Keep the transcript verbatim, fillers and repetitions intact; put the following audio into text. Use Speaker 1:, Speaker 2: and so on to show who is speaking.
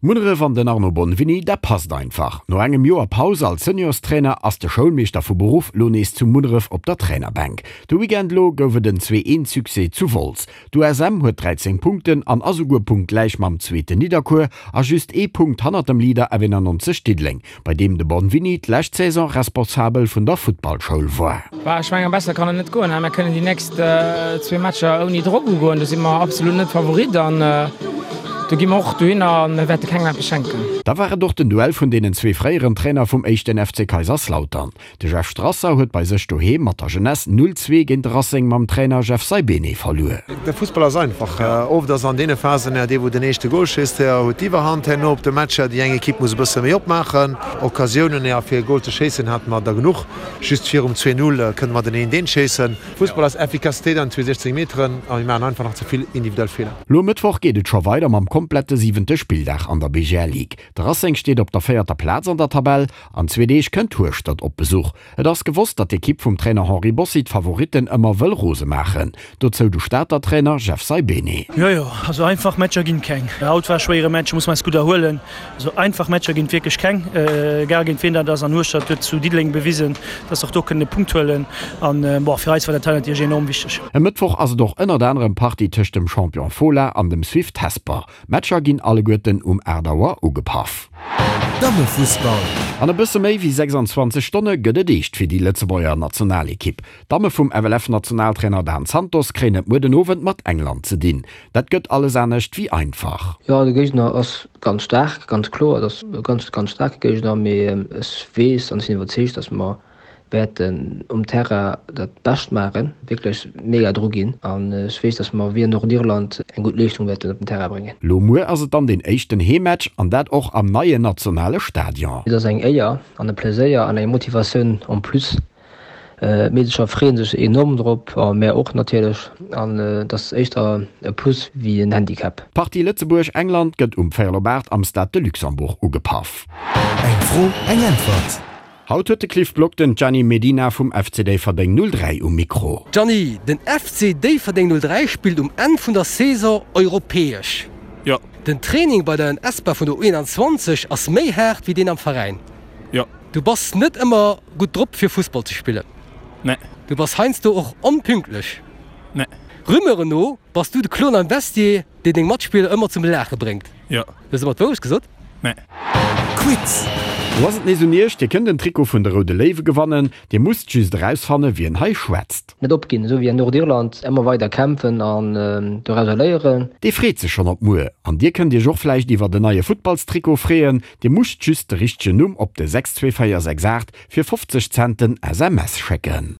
Speaker 1: Munneref an den Arno Bonvini, dat passt einfach. No engem Joer Paus als Seniorstrainer ass de Schoulmeeschter vu Beruff lo nees zu Munneref op der Trainerbänk. De Weekend lo gouf et en zwee eent Succès zu Wolz. D'USM huet dräizéng Punkten an ass esouguer punktgläich mam zweeten Nidderkuer a just ee Punkt hannert dem Leader F eenannonzeg Diddeleng, bei deem de Bonvini d'lescht Saison Responsabel vun der Futtballschoul war.
Speaker 2: Bah, ech mengen, besser kann et net goen. Mir kënnen déi nächst zwee Matcher ouni Drock ugoen. Do si mer absolut net Favorit an do gi mer och dohinner a mir wäerte kengem eppes schenken.
Speaker 1: Da war et och den Duell vun deenen zwee fréieren Trainer vum éischten F C Kaiserslautern. De Jeff Strasser huet bei sech doheem mat der Jeunesse null zwee géint de Racing mam Trainer Jeff Saibene verluer.
Speaker 3: De Fussball ass einfach. Oft ass an deene Phasen dee wou den éischte Gol schéisst, huet d'Iwwerhand herno op de Match. Déi eng Ekipp muss e bësse méi opmaachen. Occasiounen fir e Gol ze schéissen hate mer der genuch. Just virum zwee Null kënne mer den eent eent schéissen. Fussball ass Effikassitéit an zwee siechzéng Meteren a mir maachen einfach nach ze vill individuell Feeler.
Speaker 1: Lo e Mëttwoch geet et scho weider mam komplette siwente Spilldag an der B G L Ligue. De Racing steet op der véierter Plaz an der Tabell. An zwee Deeg kënnt Hueschtert op Besuch. Et ass gewosst, datt d'Ekipp vum Trainer Henri Bossi d'Favoritten ëmmer wëll rose maachen. Dozou de Stater Trainer Jeff Saibene.
Speaker 4: Jo jo, also einfach Matcher ginn keng. Haut war e schwéiere Match, muss mer eis gutt erhuelen. Also einfach Matcher ginn et wierklech keng, egal géint wien dat ass. An Hueschtert huet zu Diddeleng bewisen, dass se och do kënnen e Punkt huelen. An bon, fir eis war dat hei natierlech enorm wichteg.
Speaker 1: E Mëttwoch ass et och ënnert anerem Partie tëscht dem Champion Fola an dem Swift Hesper. D'Matcher ginn alleguerten um aacht Auer ugepaff.
Speaker 5: Dammefussball.
Speaker 1: An e bësse méi wéi sechsanzwanzeg Stonne gëtt et eescht fir déi Lëtzebuerger Nationalekipp. D'Damme vum F L F-Nationaltrainer Dan Santos kréien et muer den Owend mat England ze dinn. Dat gëtt alles anescht wéi einfach.
Speaker 6: Jo, de Géigner ass ganz staark, ganz kloer, dat ass e ganz, ganz staarke Géigner, mee ech weess an ech sinn iwwerzeegt, datt mer wäerten um Terrain dat Bescht maachen, wierklech mega dru ginn an ech weess, datt mer wéi an Nordirland eng gutt Leeschtung wäerten op den Terrain bréngen.
Speaker 1: Lo muer ass et dann den éischten Heemmatch an dat och am neien nationale Stadion.
Speaker 6: Et ass eng Éier an e Pleséier an eng Motivatioun en plus. D'Meedercher freeë sech enorm drop a mär och natierlech an et ass éischter e Plus wéi en Handicap.
Speaker 1: D'Partie Lëtzebuerg-England gëtt um véierel op aacht am Stade de Luxembourg ugepaff.
Speaker 5: Eng Fro, eng Äntwert.
Speaker 1: Haut huet de Cliff Block den Gianni Medina vum F C Déifferdeng null dräi um Mikro.
Speaker 7: Gianni, den F C Déifferdeng null dräi spillt um Enn vun der Saison europäesch.
Speaker 8: Jo.
Speaker 7: Den Training bei der Espa vun der U eenanzwanzeg ass méi haart wéi deen am Veräin.
Speaker 8: Jo.
Speaker 7: Du bass net ëmmer gutt drop fir Fussball ze spillen.
Speaker 8: Nee.
Speaker 7: Du bass heiansdo och onpünktlech.
Speaker 8: Nee.
Speaker 7: Rumeuren no bass du de Klon am Vestiaire, deen deng Matspiller ëmmer zum Laache bréngt.
Speaker 8: Jo.
Speaker 7: Hues de ëmmer d'Wourecht gesot?
Speaker 8: Nee.
Speaker 5: Quiz.
Speaker 1: Lo ass et nees un iech, Dir kënnt en Trikot vun de Roude Léiwe gewannen. Dir musst just erausfanne wien hei schwätzt.
Speaker 6: Net opginn, esou wéi an Nordirland, ëmmer weider kämpfen an dorauser léieren.
Speaker 1: Dee freet sech schonn op muer. An dir kënnt iech och vläicht iwwert en neie Futtballstrikot freeën. Dir musst just de richtegen Numm op de sechs zwee véier sechs aacht fir fofzeg Cent en S M S schécken.